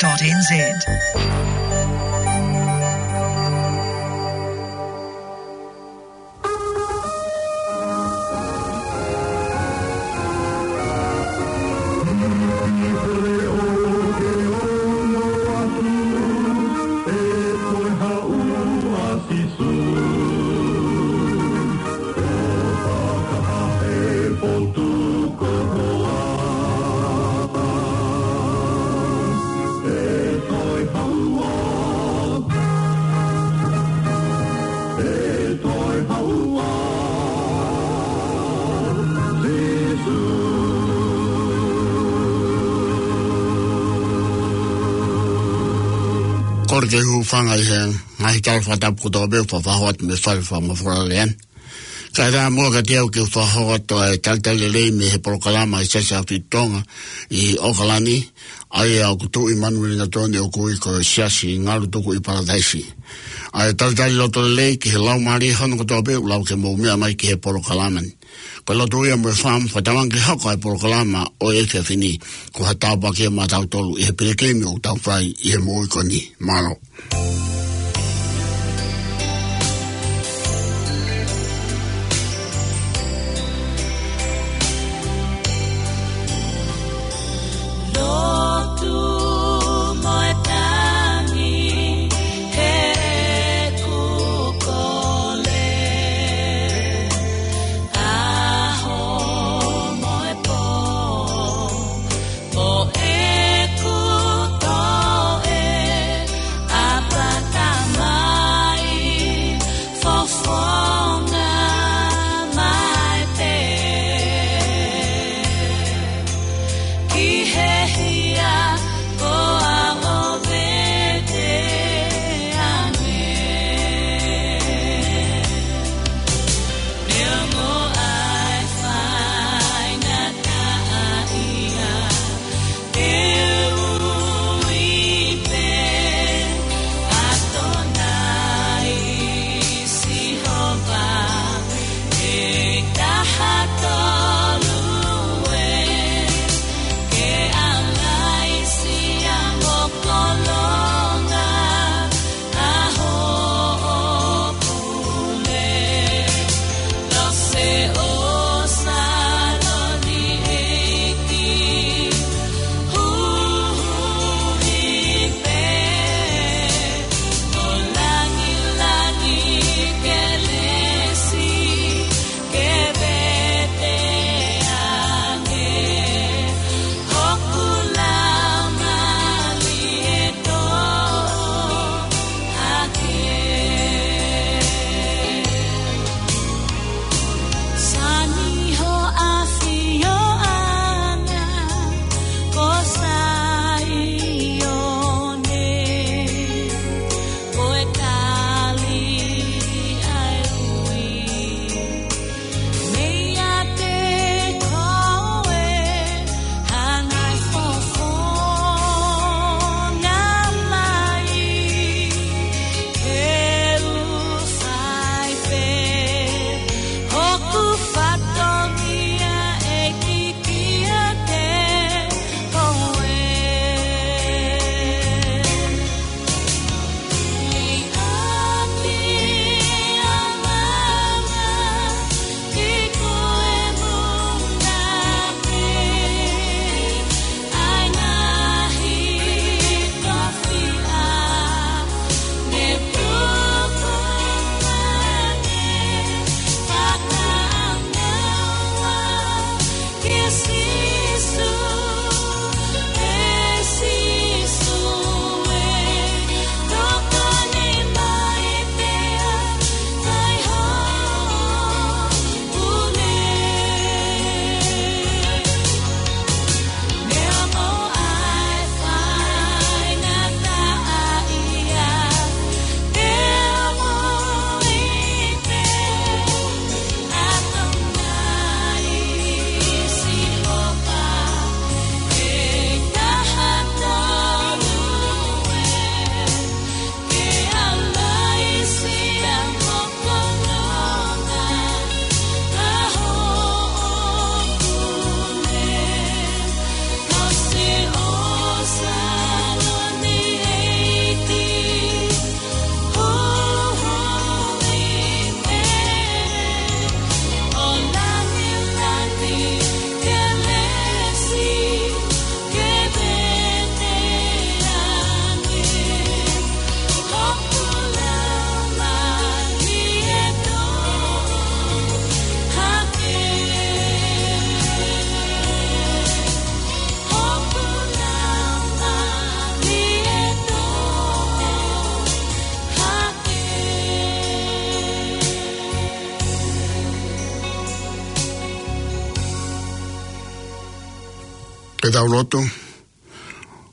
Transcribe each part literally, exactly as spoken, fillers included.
dot N Z. Kole ke u hūfanga ʻi he ngaahi tala fakatapu kotoa pē ʻoku fakahoko atu mei he Fale Fakamafola Leá ni. Kae ʻatā muʻa kiate au ke u fakahoko atu ʻa e talitali lelei mei he polokalama ʻa e Siasi ʻAhofitu Tonga ʻi ʻOkalani, ʻa ia ʻoku tuʻu ʻi Manurelengatoni, ʻoku ui ko e Siasi Ngalutuku ʻi Palataisi. ʻA e talitali loto lelei ki he laumālie hono kotoa pē ʻoku lava ke mou meʻa mai ki he polokalama ni. Ko e lotu ia mo e fakaʻamu, fakatātā ange ke hoko ʻa e polokalama ʻo e efiafi ni ko ha tāpuaki ia maʻatautolu ʻi he pilikimi ʻoku tau fai ʻi he moʻui ko eni. Mālō. Lotu mo e tangi heʻeku kole, ʻaho mo e pō, mo ʻeku toe ʻapakí. Tau lotu.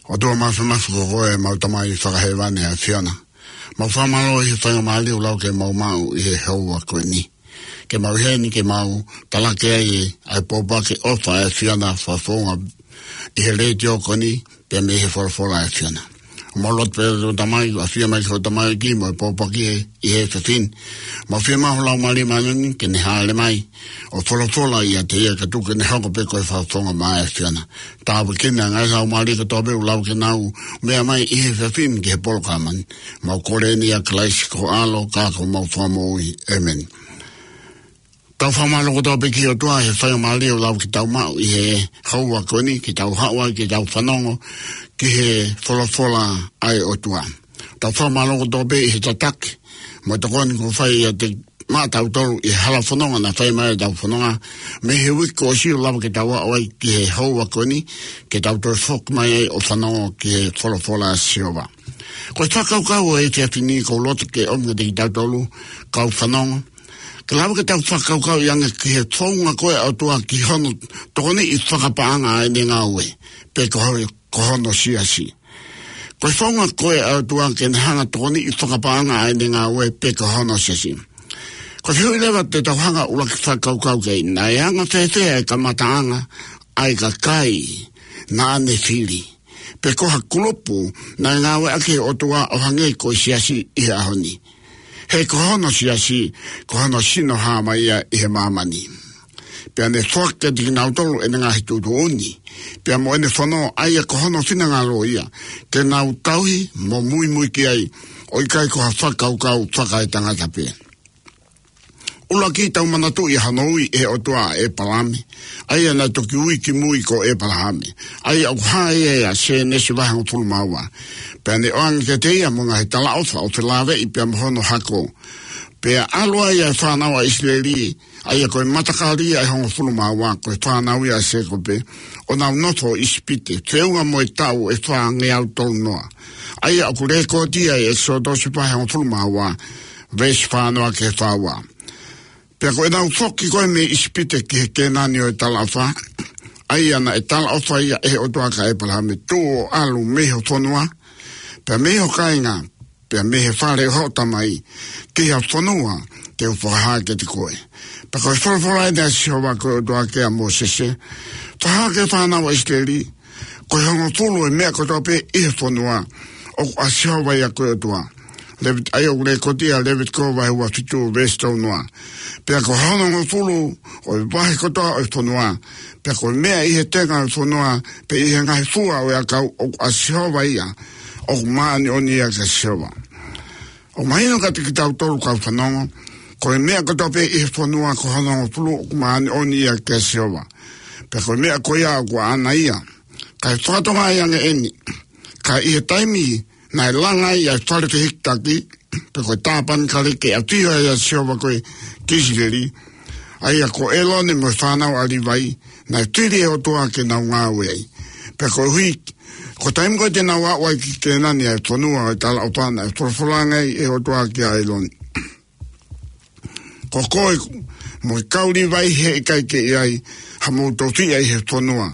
ʻOtua Māfimafi, ko koe ʻemau Tamai Fakahēvani ʻa e ʻAfiona. Mau fakamālō ʻi he faingamālie ʻoku lau ke mau maʻu ʻi he houa ko eni, ke mau ʻi heni ke mau talaki ai ʻa e pōpoaki ʻofa ʻa e ʻAfiona fakafofonga ʻi he letiō ko eni, pea mei he folofola ʻa e ʻAfiona. Mau lotu pē, ʻe Tamai, ʻafio mai ki ho tamaioʻeiki mo e pōpoaki ʻi he efiafi ni. Mau fiemaʻu ho Laumālie Māʻoniʻoni ke ne hāʻele mai ʻo folofola ʻiate ia kae tuku ke ne hoko pē ko e fakafofonga maʻa e ʻAfiona. Tāpuekina ʻa e ngaahi laumālie kotoa pē ʻoku lava ke nau meʻa mai ʻi he efiafi ni ki he polokalama ni. Mau kole eni ʻia Kalaisi ko ho ʻAlo ka ko homau Fakamoʻui. ʻĒmeni. Tau fakamālō kotoa pē ki he ʻOtua he faingamālie ʻoku lava ke tau maʻu ʻi he houa ko eni ke tau haʻu ai ke tau fanongo ki he folofola ʻa e ʻOtua. Tau fakamālō kotoa pē ʻi he tataki mo e tokoni kuo fai ʻiate maʻatautolu ʻi he hala fononga naʻe fai mai ʻetau fononga mei he uike kuo ʻosi, ʻo lava ke tau aʻu ai ki he houa ko eni ke tau toe foki mai ai ʻo fanongo ki he folofola ʻa Sihova. Ko e fakakaukau ʻo e efiafi ni ʻoku ou loto ke ʻomi kiate kitautolu kau fanongo, ke lava ke tau fakakaukauʻi ange ki he founga ko ē ʻa e ʻOtua ki hono tokoniʻi fakapaʻanga ʻa ʻene ngāue, pe ko ho-, ko hono siasi. Ko e founga ko ē ʻa e ʻOtua ke ne hanga tokoniʻi fakapaʻanga ʻa ʻene ngāue pe ko hono siasi. Ko e fehuʻi leva te tau hanga ʻuluaki fakakaukau ki ai, naʻe anga fēfē ʻa e kamataʻanga ʻa e kakai naʻa ne fili, pe ko ha kulupu naʻe ngāueʻaki ʻe he ʻOtua ʻo hangē ko e siasi ʻi he ʻaho ni? He ko hono siasi, ko hono sino hāmai ia ʻi he māmani. Pea ne foaki kiate kinautolu ʻene ngaahi tuʻutuʻuni, pea mo ʻene fono, ʻa ia ko hono finangalo ia ke nau tauhi mo muimui ki ai, ʻo ʻikai ko ha fakakaukau fakaetangata pē. ʻUluaki, tau manatuʻi hono ui ʻe he ʻOtua ʻa ʻĒpalahame, ʻa ia naʻe toki ui kimui ko ʻĒpalahame, ʻa ia ʻoku hā ia ʻia Sēnesi vahe hongofulu mā ua. Pea ne ʻoange kiate ia mo e ngaahi talaʻofa ʻo felāveʻi pea mo hono hako. Pea ʻalu ai ʻa e fānau ʻa ʻIsileli, ʻa ia ko e matakali ʻe hongofulu mā ua, ko e fānau ia ʻa Sēkope, ʻo nau nofo ʻi ʻIsipite, feʻunga mo e taʻu ʻe fāngeau tolunoa. ʻA ia ʻoku lēkooti ai ʻi ʻEkisoto vahe hongofulu mā ua, veesi fā noa ki he fā ua. Pea ko ʻenau foki ko ē mei ʻIsipite ki he Kēnani ʻo e talaʻofa, ʻa ia naʻe talaʻofa ia ʻe he ʻOtua kia ʻĒpalahame, tuʻu ʻo ʻalu mei ho fonua, pea mei ho kāinga, pea mei he fale ʻo hoʻo tamai, ki ha fonua te u fakahā kiate koe. Pea ko e folofola eni ʻa Sihova ko e ʻOtua kia Mōsese, fakahā ki he fānau ʻa ʻIsileli, ko e hongofulu ʻo e meʻa kotoa pē ʻi he fonua, ʻoku ʻa Sihova ia ko e ʻOtua. Levit-, ʻa ia ʻoku lēkooti ʻia Levitiko vahe ua fitu veesi tolu noa. Pea ko hono hongofulu ʻo e vahe kotoa ʻo e fonua, pea ko e meʻa ʻi he tenga ʻo e fonua, pe ʻi he ngaahi fua ʻo e ʻakau, ʻoku ʻa Sihova ia, ʻoku māʻoniʻoni ia kia Sihova. ʻOku mahino kiate kitautolu kau fanongo, ko e meʻa kotoa pē ʻi he fonua ko hono hongofulu ʻoku māʻoniʻoni ia kia Sihova. Pea ko e meʻa ko ia ʻoku ʻaʻana ia. Kae fakatokangaʻi ange eni, ka ʻi he taimi naʻe langa ai ʻa e fale fehikitaki, pe ko e tāpanekale ke ʻafio ai ʻa Sihova ko ē ki ʻIsileli, ʻa ia ko ʻĒlone mo e fānau ʻa Līvai, naʻe fili ʻe he ʻOtua ke nau ngāue ai. Pea koeʻuhi, ko e taimi ko ē te nau aʻu ai ki Kēnani, ʻa e fonua ʻo e talaʻofa, naʻe folofola ange ai ʻe he ʻOtua kia ʻĒlone, ko koe mo e kau Līvai heʻikai ke ʻi ai hamou tofiʻa ʻi he fonua,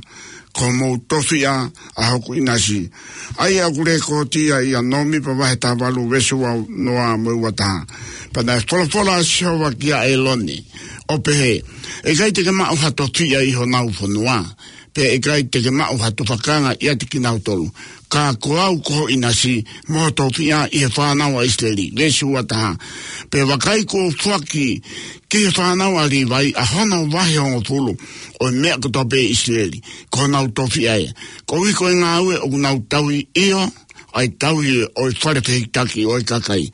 ko homou tofiʻa ʻa hoku ʻinasi. ʻA ia ʻoku lēkooti ia ʻia Nōmipa vahe taha valu veesi ua noa mo e ua taha. Pea naʻe folofola ʻa Sihova kia ʻĒlone, ʻo pehē, ʻE ʻikai te ke maʻu ha tofiʻa ʻi honau fonua, pea ʻe ʻikai te ke maʻu ha tufakanga ʻiate kinautolu, ka ko au ko ho ʻinasi mo ho tofiʻa ʻi he fānau ʻa ʻIsileli. Veesi ua taha. Pea vakai, kuo u foaki ki he fānau ʻa Līvai ʻa hono vahe hongofulu ʻo e meʻa kotoa pē ʻi ʻIsileli, ko honau tofiʻa ia, koeʻuhi ko e ngāue ʻoku nau tauhi, ʻio, ʻa e tauhi ʻo e fale fehikitaki ʻo e kakai.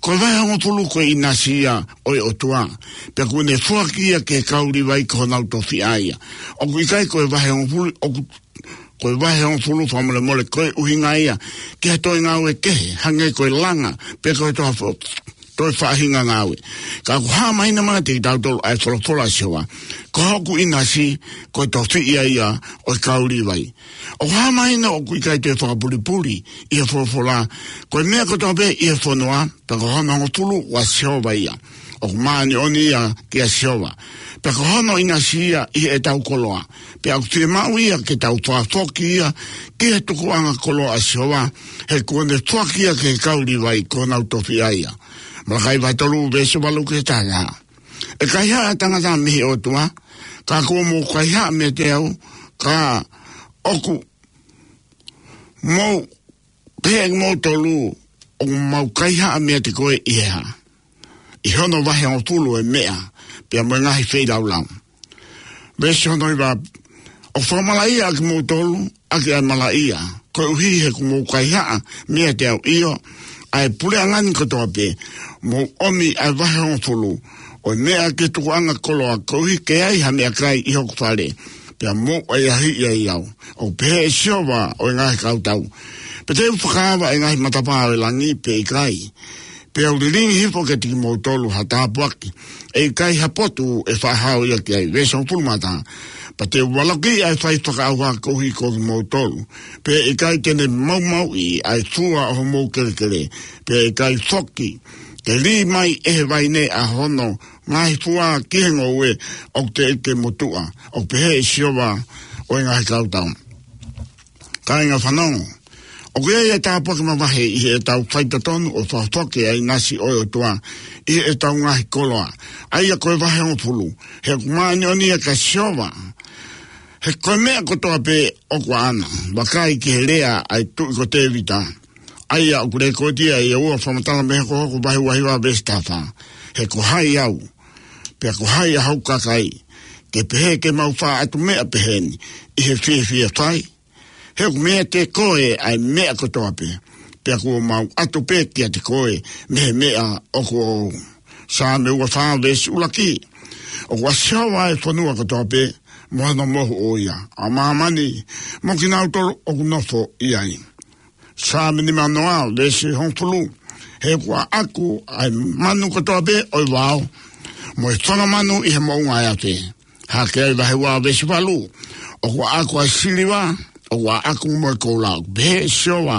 Ko e vahe hongofulu ko e ʻinasi ia ʻo e ʻOtua, pea kuo ne foaki ia ki he kau Līvai ko honau tofiʻa ia. ʻOku ʻikai ko e vahe hongofulu, ʻoku, ko e vahe hongofulu fakamolemole ko e ʻuhinga ia ki ha toe ngāue kehe, hangē ko e langa, pe ko e toe fo-, toe faʻahinga ngāue. Ka ʻoku hā mahino mai kiate kitautolu ʻa e folofola ʻa Sihova, ko hoku ʻinasi, ko e tofiʻa ia ʻo e kau Līvai. ʻOku hā mahino ʻoku ʻikai toe fakapulipuli ʻi he folofola, ko e meʻa kotoa pē ʻi he fonua, pea ko hono hongofulu ʻa Sihova ia, ʻoku māʻoniʻoni ia kia Sihova. Pea ko hono ʻinasi ia ʻi heʻetau koloa. Pea ʻoku fiemaʻu ia ke tau fakafoki ia ki he tukuʻanga koloa ʻa Sihova, he kuo ne foaki ia ki he kau Līvai ko honau tofiʻa ia. Malakai vahe tolu veesi valu ki he taha. ʻE kaihaʻa ʻa e tangata mei he ʻOtua, ka kuo mou kaihaʻa meiate au, ka ʻoku mou, pehē ʻe kimoutolu, ʻoku mau kaihaʻa meiate koe ʻi he hā? ʻI hono vahe hongofulu ʻo e meʻa, pea mo e ngaahi feilaulau. Veesi hono hiva, ʻoku fakamalaʻia ʻa kimoutolu ʻaki ʻa e malaʻia, koeʻuhi he kuo mou kaihaʻa meiate au, ʻio, ʻa e puleʻanga ni kotoa pē, mou ʻomi ʻa e vahe hongofulu ʻo e meʻa ki he tukuʻanga koloa, koeʻuhi ke ʻi ai ha meʻakai ʻi hoku fale, pea mou ʻahiʻahiʻi au, ʻoku pehē ʻe Sihova ʻo e ngaahi kautau. Pe te u fakaava ʻa e ngaahi matapā ʻo e langi pe ʻikai? Pea u lilingi hifo kiate kimoutolu ha tāpuaki, ʻe ʻikai ha potu ʻe faʻa hao ia ki ai. Veesi hongofulu mā taha, pea te u valokiʻi ʻa e fai fakaʻauha koeʻuhi ko kimoutolu, pea ʻe ʻikai te ne maumauʻi ʻa e fua ʻo homou kelekele, pea ʻe ʻikai foki ke lī mai ʻe he vaine ʻa hono ngaahi fua ki he ngoue ʻoku teʻeki ke motuʻa, ʻoku pehē ʻe Sihova ʻo e ngaahi kautau. Kāinga fanongo, ʻoku ʻi ai ʻa e tāpuaki mavahe ʻi heʻetau faitotonu ʻo fakafoki ʻa e ʻinasi ʻo e ʻOtua ʻi heʻetau ngaahi koloa, ʻa ia ko e vahe hongofulu, he ʻoku māʻoniʻoni ia kia Sihova, he ko e meʻa kotoa pē ʻoku ʻaʻana. Vakai ki he lea ʻa e tuʻi ko Tēvita, ʻa ia ʻoku lekooti ia ʻi he ua Fakamatala mei he Hokohoko vahe ua hiva veesi taha fā. He ko hai au, pea ko hai ʻa hoku kakai, ke pehē ke mau faʻa ʻatu meʻa peheni ʻi he fiefia fai? He ʻoku meiate koe ʻa e meʻa kotoa pē, pea kuo mau ʻatu pē kiate koe mei he meʻa ʻoku ou. Saame ua fā veesi ʻuluaki, ʻoku ʻa Sihova ʻa e fonua kotoa pē, mo hono mohu ʻo ia, ʻa māmani, mo kinautolu ʻoku nofo ʻi ai. Saame nimanoa veesi hongofulu, he ʻoku ʻaʻaku ʻa e manu kotoa pē ʻo e vao, mo e fanga manu ʻi he moʻunga ʻo e afe. Hake ai vahe ua veesi valu, ʻoku ʻaʻaku ʻa e siliva, ʻoku ʻaʻaku mo e koula, ʻoku pehē ʻe Sihova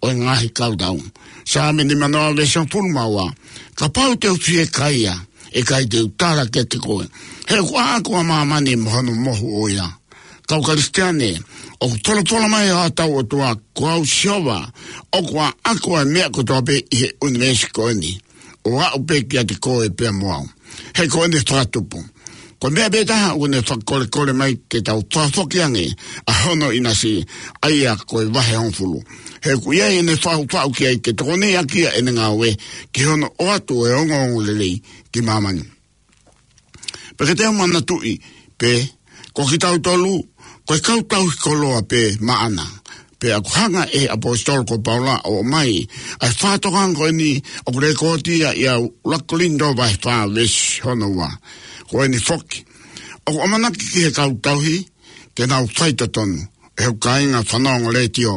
ʻo e ngaahi kautau. Saame nimanoa veesi hongofulu mā ua, kapau te u fiekaia, ʻe ʻikai te u tala kiate koe, he ʻoku ʻaʻaku ʻa māmani mo hono mohu ʻo ia. Kau Kalisitiane, ʻoku folofola mai ʻa hotau ʻOtua, ko au Sihova, ʻoku ʻaʻaku ʻa e meʻa kotoa pē ʻi he ʻunivēsi ko eni, ʻo aʻu pē kiate koe pea mo au. He ko ʻene fakatupu. Ko e meʻa pē taha ʻoku ne fakakolekole mai ke tau fakafoki ange ʻa hono ʻinasi, ʻa ia ko e vahe hongofulu. He ʻoku ʻi ai ʻene faʻufaʻu ki ai ke tokoniʻi ʻaki ia ʻene ngāue ki hono ʻoatu ʻo e ongoongolelei ki māmani. Pea ke tau manatuʻi pē, ko kitautolu, ko e kau tauhi koloa pē maʻana. Pea ʻoku hanga ʻe he ʻaposetolo ko Paula ʻo ʻomai ʻa e fakatokanga ko eni ʻoku lekooti ia ʻi he ʻuluaki Kolinitō vahe fā veesi hono ua. Ko eni foki, ʻoku ʻamanaki ki he kau tauhi ke nau faitotonu. ʻE hoku kāinga fanongo letiō,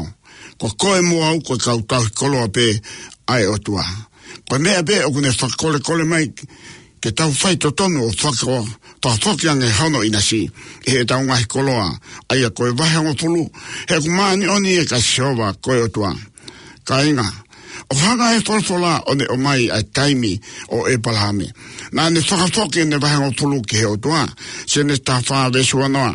ko koe mo au ko e kau tauhi koloa pē ʻa e ʻOtua. Ko e meʻa pē ʻoku ne fakakolekole mai ke tau faitotonu ʻo faka-, fakafoki ange hono ʻinasi ʻi heʻetau ngaahi koloa, ʻa ia ko e vahe hongofulu, he ʻoku māʻoniʻoni ia kia Sihova ko e ʻOtua. Kāinga, ʻoku hanga ʻe he folofola ʻo ne ʻomai ʻa e taimi ʻo ʻĒpalahame naʻa ne fakafoki ʻene vahe hongofulu ki he ʻOtua, Sēnesi taha fā veesi ua noa.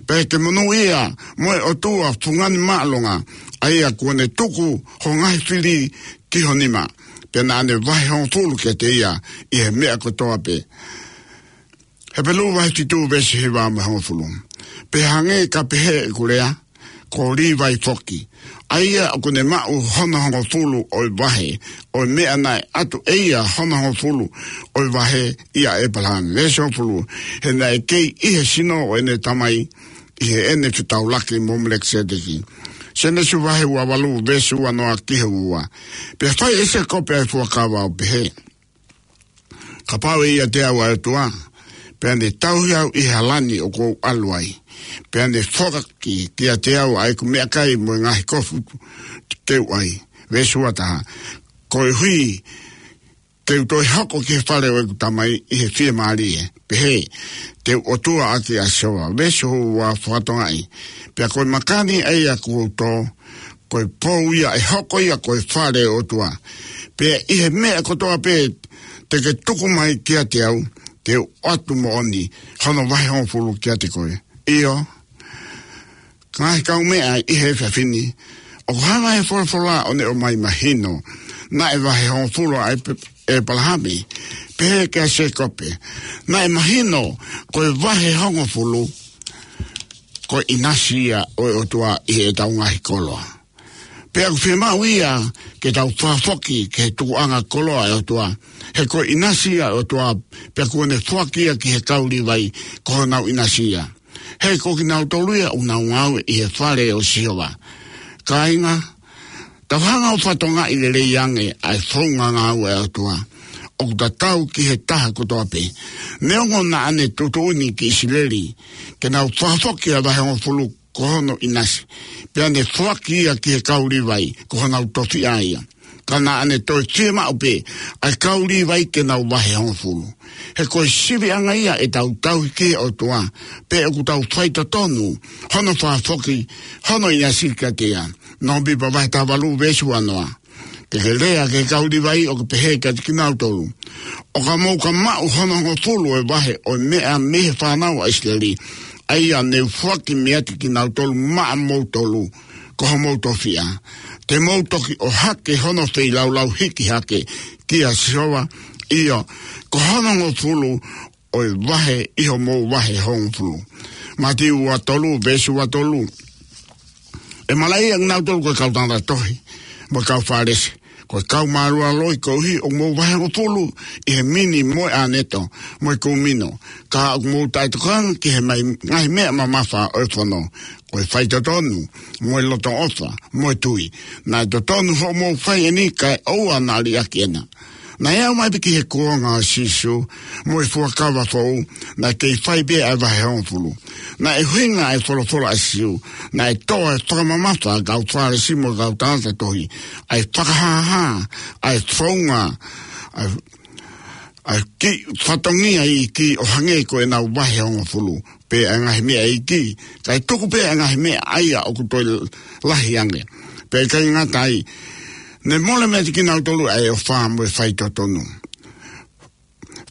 Pea ke monūʻia mo e ʻOtua fungani māʻolunga, ʻa ia kuo ne tuku ho ngaahi fili ki ho nima, pea naʻa ne vahe hongofulu kiate ia ʻi he meʻa kotoa pē. Hepelū vahe fitu veesi hiva mo e hongofulu. Pea hangē ka pehē ʻeku lea, ko Līvai foki, ʻa ia ʻoku ne maʻu hono hongofulu ʻo e vahe ʻo e meʻa naʻe ʻatu ʻe ia hono hongofulu ʻo e vahe ʻia ʻĒpalahame. Veesi hongofulu, he naʻe kei ʻi he sino ʻo ʻene tamai, ʻi heʻene fetaulaki mo Melekiseteki. Sēnesi vahe ua valu veesi ua noa ki he ua. Pea fai ʻe Sēkope ʻa e fuakava ʻo pehē, kapau ʻe ʻiate au ʻa e ʻOtua, pea ne tauhi au ʻi he hala ni ʻoku ou ʻalu ai, pea ne foaki kiate au ʻa ʻeku meʻakai mo e ngaahi kofu te u ʻai. Veesi ua taha, koeʻuhi ke u toe hoko ki he fale ʻo ʻeku tamai ʻi he fiemālie, pehē, te u ʻOtua ʻaki ʻa Sihova. Veesi ua fakatonga ai, pea ko e maka ni ʻa ia kuo u tō, ko e pou ia ʻe hoko ia ko e fale ʻo e ʻOtua. Pea ʻi he meʻa kotoa pē te ke tuku mai kiate au, te u ʻoatu moʻoni hono vahe hongofulu kiate koe. ʻIo, ngaahi kaumeʻa ʻi he efiafi ni, ʻoku hanga ʻe he folofola ʻo ne ʻomai mahino, naʻe vahe hongofulu ʻa ʻĒp-, ʻĒpalahame, pehē kia Sēkope. Naʻe mahino ko e vahe hongofulu, ko e ʻinasi ia ʻo e ʻOtua ʻi heʻetau ngaahi koloa. Pea ʻoku fiemaʻu ia ke tau fakafoki ki he tukuʻanga koloa ʻa e ʻOtua. He ko e ʻinasi ia ʻa e ʻOtua, pea kuo ne foaki ia ki he kau Līvai ko honau ʻinasi ia. He ko kinautolu ia ʻoku nau ngāue ʻi he fale ʻo Sihova. Kāinga, tau hanga ʻo fakatokangaʻi lelei ange ʻa e founga ngāue ʻa e ʻOtua ʻoku tatau ki he taha kotoa pē. Neongo naʻa ne tuʻutuʻuni ki ʻIsileli ke nau fakafoki ʻa e vahe hongofulu ko hono ʻinasi, pea ne foaki ia ki he kau Līvai ko honau tofiʻa ia. Ka naʻa ne toe fiemaʻu pē ʻa e kau Līvai ke nau vahe hongofulu. He ko e siviʻanga ia ʻetau tauhi ki he ʻOtua, pe ʻoku tau faitotonu hono fakafoki hono ʻinasi kiate ia. Nōmipa vahe taha valu veesi uanoa. Te ke lea ki he kau Līvai ʻo ke pehē kiate kinautolu, ʻo ka mou ka maʻu hono hongofulu ʻo e vahe ʻo e meʻa mei he fānau ʻa ʻIsileli, ʻa ia ne u foaki meiate kinautolu maʻamoutolu ko homou tofiʻa, te mou toki ʻohake hono feilaulau hiki hake kia Sihova, ʻio, ko hono hongofulu ʻo e vahe ʻi homou vahe hongofulu. Mātiu ua tolu, veesi ua tolu. ʻE malaʻia kinautolu ko e kau tangata tohi mo e kau Fālesi, ko e kau mālualoi, koeʻuhi ʻoku mou vahe hongofulu ʻi he mini mo e ʻāneto mo e kūmino, ka ʻoku mou taʻetokanga ki he mai-, ngaahi meʻa mamafa ʻo e fono, ko e faitotonu mo e loto ʻofa mo e tui. Naʻe totonu hoʻomou fai eni, kae ʻoua naʻa liʻaki ena. Naʻe aʻu mai pē ki he kuonga ʻo Sīsū mo e Fuakava Foʻou, naʻe kei fai pē ʻa e vahe hongofulu. Naʻe ʻuhinga ʻa e folofola ʻa Sīsū, naʻe tō ʻa e fakamamafa ʻa e kau Fālesi mo e kau tangata tohi, ʻa e fakahāhā ʻa e founga, ʻa e, ʻa e kiʻi fatongia iiki ʻo hangē ko ʻenau vahe hongofulu pē ʻa e ngaahi meʻa iiki, kae tuku pē ʻa e ngaahi meʻa ʻa ia ʻoku toe lahi ange. Pea ʻikai ngata ai, ne mole meiate kinautolu ʻa e ʻofa mo e faitotonu.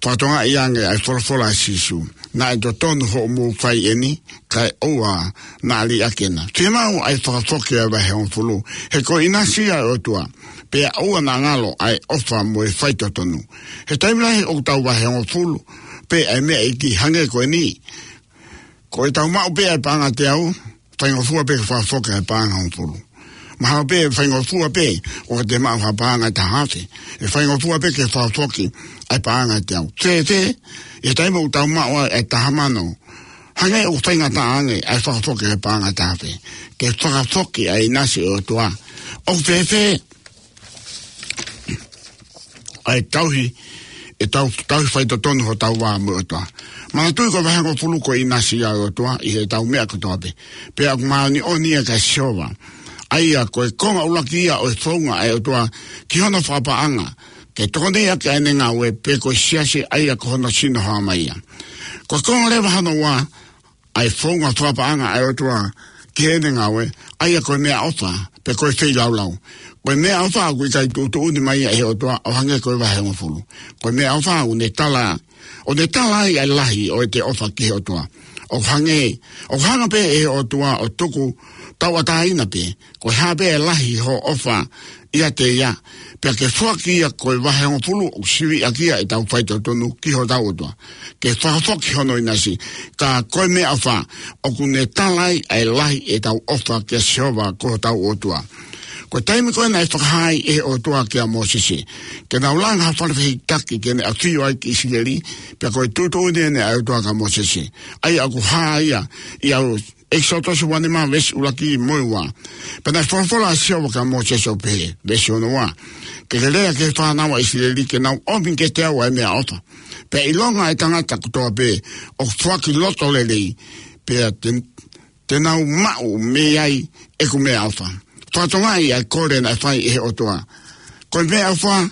Fakatokangaʻi ange ʻa e folofola ʻa Sīsū, naʻe totonu hoʻomou fai eni, kae ʻoua naʻa liʻaki ena. Fiemaʻu ʻa e fakafoki ʻa e vahe hongofulu, he ko e ʻinasi ia ʻa e ʻOtua, pea ʻoua naʻa ngalo ʻa e ʻofa mo e faitotonu. He taimi lahi ʻoku tau vahe hongofulu pē ʻa e meʻa iiki, hangē ko eni. Ko ʻetau maʻu pē ʻa e paʻanga teau, faingofua pē ke fakafoki ʻa e paʻanga hongofulu. Mahalo pē faingofua pē ʻo ka te maʻu ha paʻanga ʻe taha afe, ʻe faingofua pē ke fakafoki ʻa e paʻanga teau. Fēfē, ʻi he taimi ʻoku tau maʻu ai ʻa e taha mano, hangē ʻoku faingataʻa ange ʻa e fakafoki ʻa e paʻanga ʻe taha afe ke fakafoki ʻa e ʻinasi ʻo e ʻOtua? ʻOku fēfē ʻa e tauhi, ʻetau tauhi faitotonu hotau vā mo e ʻOtua? Manatuʻi ko e vahe hongofulu ko e ʻinasi ia ʻo e ʻOtua ʻi heʻetau meʻa kotoa pē. Pea ʻoku māʻoniʻoni ia kia Sihova. ʻA ia ko e konga ʻuluaki ia ʻo e founga ʻa e ʻOtua ki hono fakapaʻanga, ke tokoniʻi ʻaki ʻa ʻene ngāue, pe ko e siasi ʻa ia ko hono sino hā mai ia. Ko e konga leva hono ua ʻa e founga fakapaʻanga ʻa e ʻOtua ki heʻene ngāue, ʻa ia ko e meʻaʻofa, pe ko e feilaulau. Ko e meʻaʻofa ʻoku ʻikai tuʻutuʻuni mai ia ʻe he ʻOtua ʻo hangē ko e vahe hongofulu. Ko e meʻaʻofa ʻoku ne tala, ʻo ne tala ai ʻa e lahi ʻo ʻete ʻofa ki he ʻOtua. ʻOku hangē, ʻoku hanga pē ʻe he ʻOtua ʻo tuku tauʻatāina pē, ko e hā pē ʻa e lahi hoʻo ʻofa ʻiate ia, pea ke foaki ia ko e vahe hongofulu ʻoku siviʻi ʻaki ia ʻetau faitotonu ki hotau ʻOtua, ke fakafoki hono ʻinasi. Ka ko e meʻaʻofa ʻoku ne tala ai ʻa e lahi ʻetau ʻofa kia Sihova ko hotau ʻOtua. Ko e taimi ko ē naʻe fakahā ai ʻe he ʻOtua kia Mōsese ke nau langa ha fale fehikitaki ke ne ʻafio ai ki ʻIsileli, pea ko e tuʻutuʻuni eni ʻa e ʻOtua kia Mōsese, ʻa ia ʻoku hā ia ʻi he ʻEkisoto uanima veesi ʻuluaki mo e ua. Pea naʻe folofola ʻa Sihova kia Mōsese ʻo pehē, veesi ono ua, ke ke lea ki he fānau ʻa ʻIsileli ke nau ʻomi kiate au ʻa e meʻaʻofa. Pea ʻilonga ʻa e tangata kotoa pē ʻoku foaki loto lelei, pea te, te nau maʻu mei ai ʻeku meʻaʻofa. Fakatokangaʻi ʻa e kole naʻe fai ʻe he ʻOtua. Ko e meʻaʻofa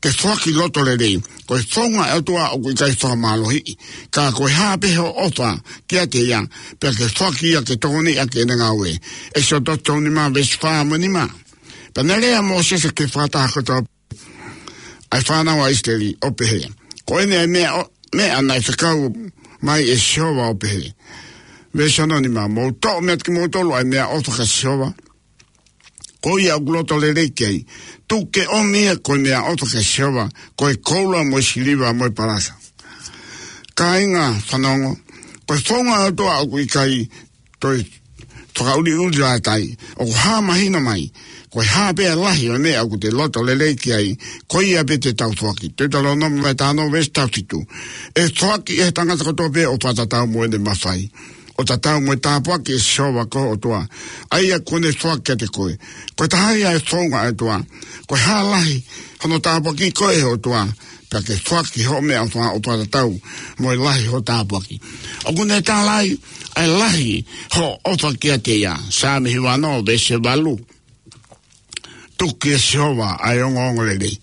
ke foaki loto lelei. Ko e founga ʻa e ʻOtua ʻoku ʻikai fakamālohiʻi. Ka ko e hā pē hoʻo ʻofa kiate ia, pea ke foaki ia ke tokoniʻi ʻaki ʻene ngāue. ʻEkisoto tolu nima veesi fā mo e nima. Pea naʻe lea ʻa Mōsese ki he fakataha kotoa ʻa e fānau ʻa ʻIsileli ʻo pehē, ko eni ʻa e meʻa ʻo, meʻa naʻe fekau mai ʻe Sihova ʻo pehē. Veesi hono nima: Mou toʻo meiate kimoutolu ʻa e meʻaʻofa kia Sihova, ko ia ʻoku loto lelei ki ai. Tuku ke ʻomi ia ko e meʻaʻofa kia Sihova, ko e koula mo e siliva mo e palasa. Kāinga fanongo, ko e founga ʻa e ʻOtua ʻoku ʻikai toe fakaʻuliʻuli lātai, ʻoku hā mahino mai, ko e hā pē ʻa e lahi ʻo e meʻa ʻoku te loto lelei ki ai, ko ia pē te tau foaki. Teutalōnome vahe taha ono veesi taha fitu: ʻE foaki ʻe he tangata kotoa pē ʻo fakatatau mo ʻene mafai, ʻo tatau mo e tāpuaki ʻe Sihova ko ho ʻOtua, ʻa ia kuo ne foaki kiate koe. Ko e taha ia e founga ʻa e ʻOtua, ko e hā lahi hono tāpuakiʻi koe ʻe he ʻOtua, pea ke foaki hoʻo meʻaʻofa ʻo fakatatau mo e lahi hoʻo tāpuaki. ʻOku ne tala ai ʻa e lahi hoʻo ʻofa kiate ia. Saame hiva ono veesi valu: Tuku kia Sihova ʻa e ongoongolelei,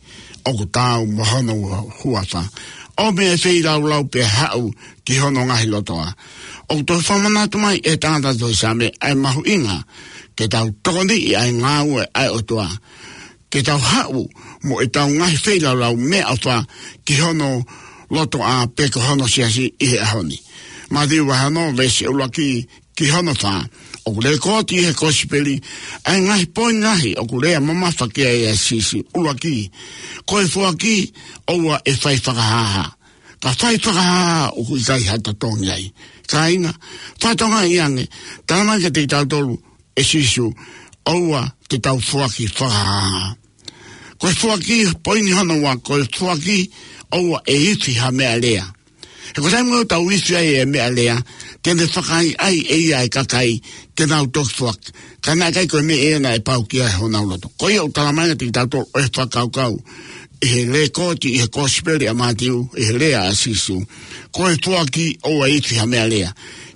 ʻoku taau mo hono huafa. ʻOmi ʻa e feilaulau pea haʻu ki hono ngaahi lotoʻā. ʻOku toe fakamanatu mai ʻe he tangata tohi Saame ʻa e mahuʻinga ke tau tokoniʻi ʻa e ngāue ʻa e ʻOtua, ke tau haʻu mo ʻetau ngaahi feilaulau meʻaʻofa ki hono lotoʻā pe ko hono siasi ʻi he ʻaho ni. Mātiu vahe ono veesi ʻuluaki ki hono fā. ʻOku lekooti ʻi he Kosipeli ʻa e ngaahi poini lahi ʻoku lea mamafa ki ai ʻa Sīsū. ʻUluaki, ko e foaki ʻoua ʻe fai fakahāhā, ka fai fakahāhā ʻoku ʻikai ha totongi ai. Kāinga, fakatokangaʻi ange, tala mai kiate kitautolu ʻe Sīsū, ʻoua te tau foaki fakahāhā. Ko e foaki, poini hono ua, ko e foaki ʻoua ʻe ifi ha meʻalea. He ko e taimi ʻoku tau ifi ai e meʻalea, te ne fakaʻaiʻai ʻe ia e kakai ke nau toki foaki. Ka naʻe ʻikai ko e meʻa ia naʻe pau ki ai honau loto. Ko ia ʻoku tala mai kiate kitautolu ʻe he fakakaukau ʻi he lekooti ʻi he Kosipeli ʻa Mātiu, ʻi he lea ʻa Sīsū, ko e foaki ʻoua ʻe ifi ha meʻalea.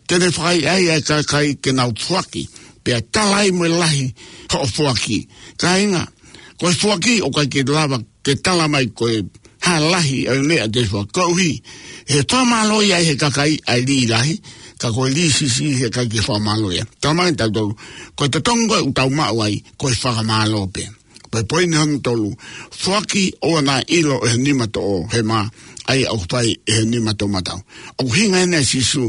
Te ne fakaʻaiʻai ʻa e kakai ke nau foaki, pea tala ai mo e lahi hoʻo foaki. Kāinga, ko e foaki ʻoku ʻikai ke lava ke tala mai ko e hā lahi ʻa e meʻa te foaki. Koeʻuhi he fakamālō ia ʻe he kakai ʻa e lī lahi, ka ko e lī siʻisiʻi he ʻikai ke fakamālō ia. Tala mai kiate kitautolu, ko e totongi ko ē ʻoku tau maʻu ai, ko e fakamālō pē. Ko e poini hono tolu, foaki ʻoua naʻa ʻilo ʻe he nima toʻohema ʻa ia ʻoku fai ʻe he nima toʻomataʻu. ʻOku ʻuhinga ʻeni ʻa Sīsū,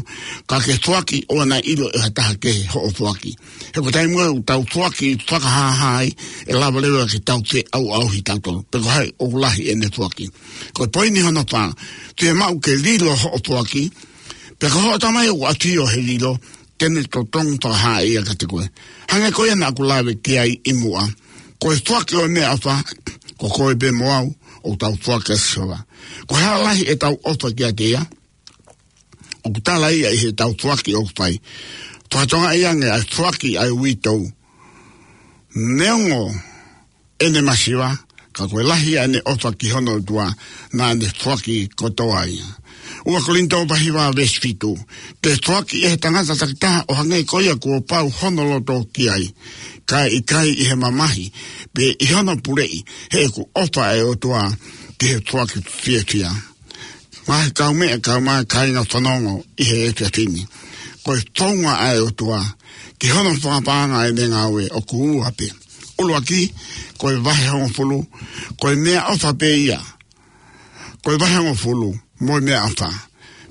ka ke foaki ʻoua naʻa ʻilo ʻe ha taha kehe hoʻo foaki. He ko e taimi ʻoku tau foaki fakahāhā ai, ʻe lava leva ke tau feʻauʻauhi kitautolu pe ko hai ʻoku lahi ʻene foaki. Ko e poini hono fā, fiemaʻu ke lilo hoʻo foaki, pea ko hoʻo Tamai ʻoku ʻafio he lilo, te ne totongi fakahā ia kiate koe. Hangē ko ia naʻa ku lave ki ai ʻi muʻa, ko e foaki ʻo e meʻaʻofa, ko koe pē mo au ʻoku tau foaki kia Sihova. Ko e hā lahi ʻetau ʻofa kiate ia, ʻoku tala ia ʻi heʻetau foaki ʻoku fai. Fakatokangaʻi ange ʻa e foaki ʻa e uitou. Neongo ʻene masiva, ka ko e lahi ʻa ʻene ʻofa ki hono ʻOtua, naʻa ne foaki kotoa ia. Ua Kolinitō vahe hiva veesi fitu: Ke foaki ʻe he tangata takitaha ʻo hangē ko ia kuo pau hono loto ki ai, kae ʻikai ʻi he mamahi, pe ʻi hono puleʻi, he ʻoku ʻofa ʻa e ʻOtua ki he foaki fiefia. Ngaahi kaumeʻa, kaeʻumaʻā kāinga fanongo ʻi he efiafi ni. Ko e founga ʻa e ʻOtua ki hono fakapaʻanga ʻene ngāue ʻoku ua pē. ʻUluaki, ko e vahe hongofulu, ko e meʻaʻofa pē ia. Ko e vahe hongofulu, mo e meʻaʻofa.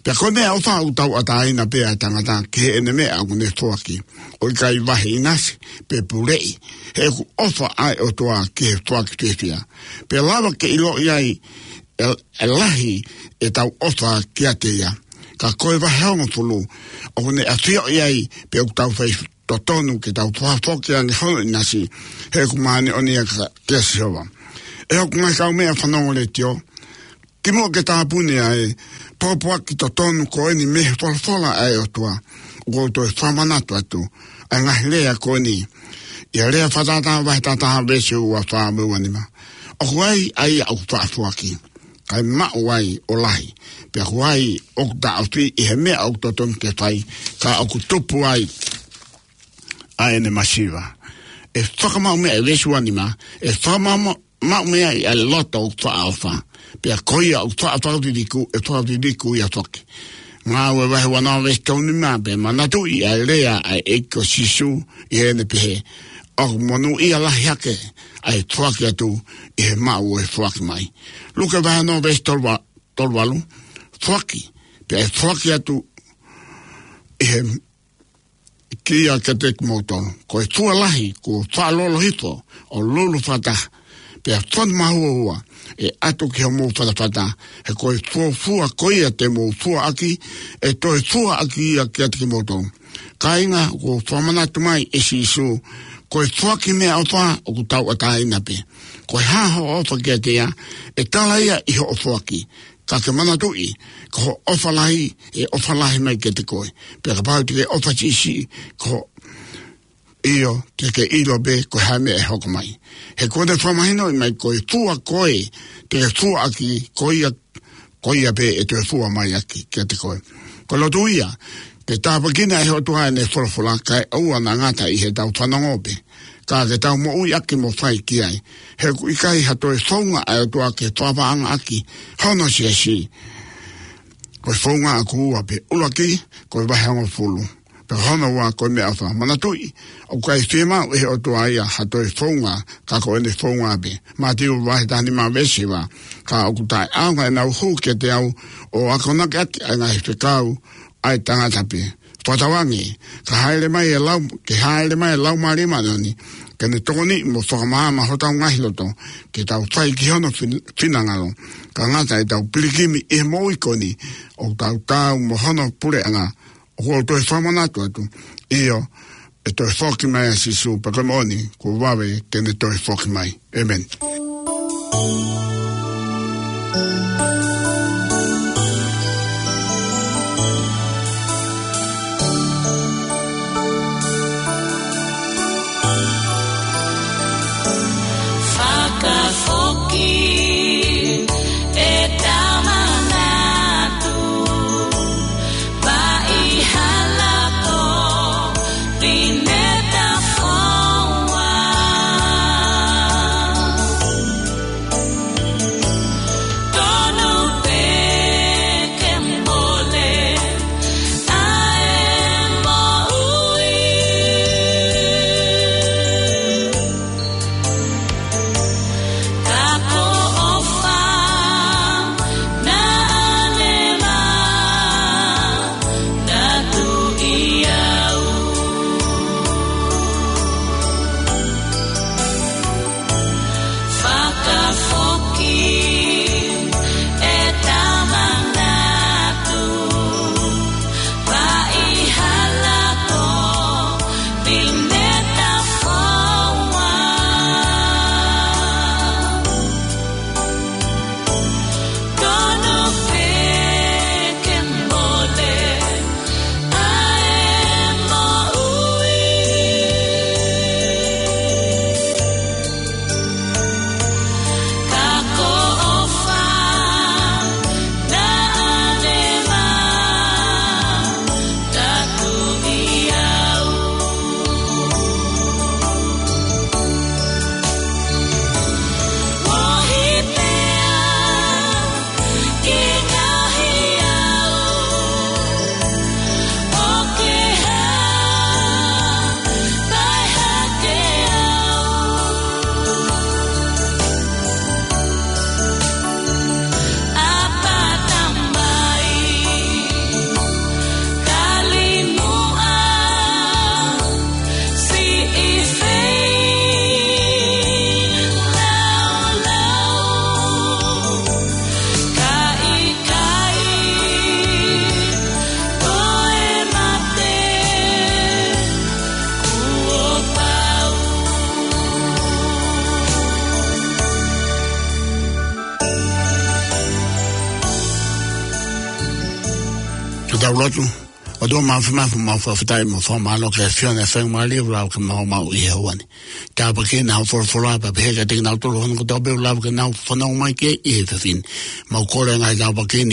Pea ko e meʻaʻofa ʻoku tauʻatāina pē ʻa e tangata ki heʻene meʻa ʻoku ne foaki. ʻOku ʻikai vahe ʻinasi, pe puleʻi. He ʻoku ʻofa ʻa e ʻOtua ki he foaki fiefia. Pea lava ke ʻiloʻi ai ʻe, ʻe lahi ʻetau ʻofa kiate ia. Ka ko e vahe hongofulu, ʻoku ne ʻafioʻi ai pe ʻoku tau fai totonu ke tau fakafoki ange hono ʻinasi, he ʻoku māʻoniʻoni ia kia, kia Sihova. ʻE hoku ngaahi kaumeʻa fanongo letiō, kimuʻa ke tāpuni ʻa e pōpoaki totonu ko eni mei he folofola ʻa e ʻOtua, ʻoku ou toe fakamanatu atu ʻa e ngaahi lea ko eni. ʻIa Lea Fakatātā vahe taha taha veesi ua fā mo e ua nima. ʻOku ai ʻa ia ʻoku faʻa foaki, kae maʻu ai ʻo lahi. Pea ʻoku ai ʻoku taʻofi ʻi he meʻa ʻoku totonu ke fai, ka ʻoku tupu ai ʻa ʻene masiva. ʻE fakamaʻu meʻa, ʻe veesi ua nima, ʻe fakamaʻu, maʻu meʻa ʻi ʻa e loto ʻoku faʻa ʻofa. Pea ko ia ʻoku faʻa fakafiliku, ʻe fakafiliku ia foki. Ngāue vahe ua noa veesi tolu nima: Pea manatuʻi ʻa e lea ʻa e ʻEiki ko Sīsū ʻi heʻene pehē, ʻoku monūʻia lahi hake ʻa e foaki atu ʻi he maʻu ʻo e foaki mai. Luke vahe ono veesi tolu ua, tolu valu: foaki, pea ʻe foaki atu ʻi he kia kiate kimoutolu. Ko e fua lahi kuo faʻa lolo hifo ʻo lulu fakataha, pea fonu mahuohua ʻe ʻatu ki homou fatafata, he ko e fuofua ko ia te mou fua ʻaki, ʻe toe fua ʻaki ia kiate kimoutolu. Kāinga, kuo fakamanatu mai ʻe Sīsū, ko e foaki meʻaʻofa ʻoku tauʻatāina pē. Ko e hā hoʻo ʻofa kiate ia, ʻe tala ia ʻi hoʻo foaki. Ka ke manatuʻi, ko hoʻo ʻofa lahi, ʻe ʻofa lahi mai kiate koe. Pea kapau te ke ʻofa siʻisiʻi, ko ʻio, te ke ʻilo pē ko e hā e meʻa ʻe hoko mai. He kuo ne fakamahinoʻi mai ko e fua ko ē te ke fua ʻaki, ko ia, ko ia pē ʻe toe fua mai ʻaki kiate koe. Ko e lotu ia, ke tāpuekina ʻe he ʻOtua ʻene folofola kae ʻoua naʻa ngata ʻi heʻetau fanongo pē, ka ke tau moʻui ʻaki mo fai ki ai. He ʻoku ʻikai ha toe founga ʻa e ʻOtua ke fakapaʻanga ʻaki hono siasi. Ko e founga ʻoku ua pē, ʻuluaki, ko e vahe hongofulu. Pea ko hono ua ko e meʻaʻofa. Manatuʻi, ʻoku ʻikai fiemaʻu ʻe he ʻOtua ia ha toe founga, ka ko ʻene founga pē. Mātiu vahe taha nima veesi hiva. Ka ʻoku taʻeʻaonga ʻenau hū kiate au ʻo akonaki ʻaki ʻa e ngaahi fekau ʻa e tangata pē. Fakatauange, ka hāʻele mai e lau, ke hāʻele mai e Laumālie Māʻoniʻoni, ke ne tokoniʻi mo fakamaama hotau ngaahi loto, ke tau fai ki hono fin-, finangalo. Ka ngata ʻetau pilikimi ʻi he moʻui ko eni, ʻoku tau taau mo hono puleʻanga, ʻoku ou toe fakamanatu atu. ʻIo, ʻe toe foki mai ʻa Sīsū, pea ko e moʻoni, kuo vave ke ne toe foki mai. ʻĒmeni. Fakafoki e tama natu, paʻi hala ko Pineta Foua. Tonu pē ke mole ʻa e moʻui. Ka ko ʻofa naʻa ne manatuʻi au. Fakafoki e tama natu, paʻi hala ko Pineta Foua. Tonu pē ke mole ʻa e moʻui. Ka ko ʻofa naʻa ne manatuʻi au. Moʻui pea Ke tau lotu. ʻOtua Māfimafi, mau fakafetaʻi mo fakamālō ki he ʻAfiona ʻi he faingamālie ʻoku lava ke mau maʻu ʻi he ʻaho ni. Tāpuekina hoʻo folofola, pea pehē kiate kinautolu hono kotoa pē ʻoku lava ke nau fanongo mai ki ai ʻi he efiafi ni. Mau kole ngaahi tāpuaki ni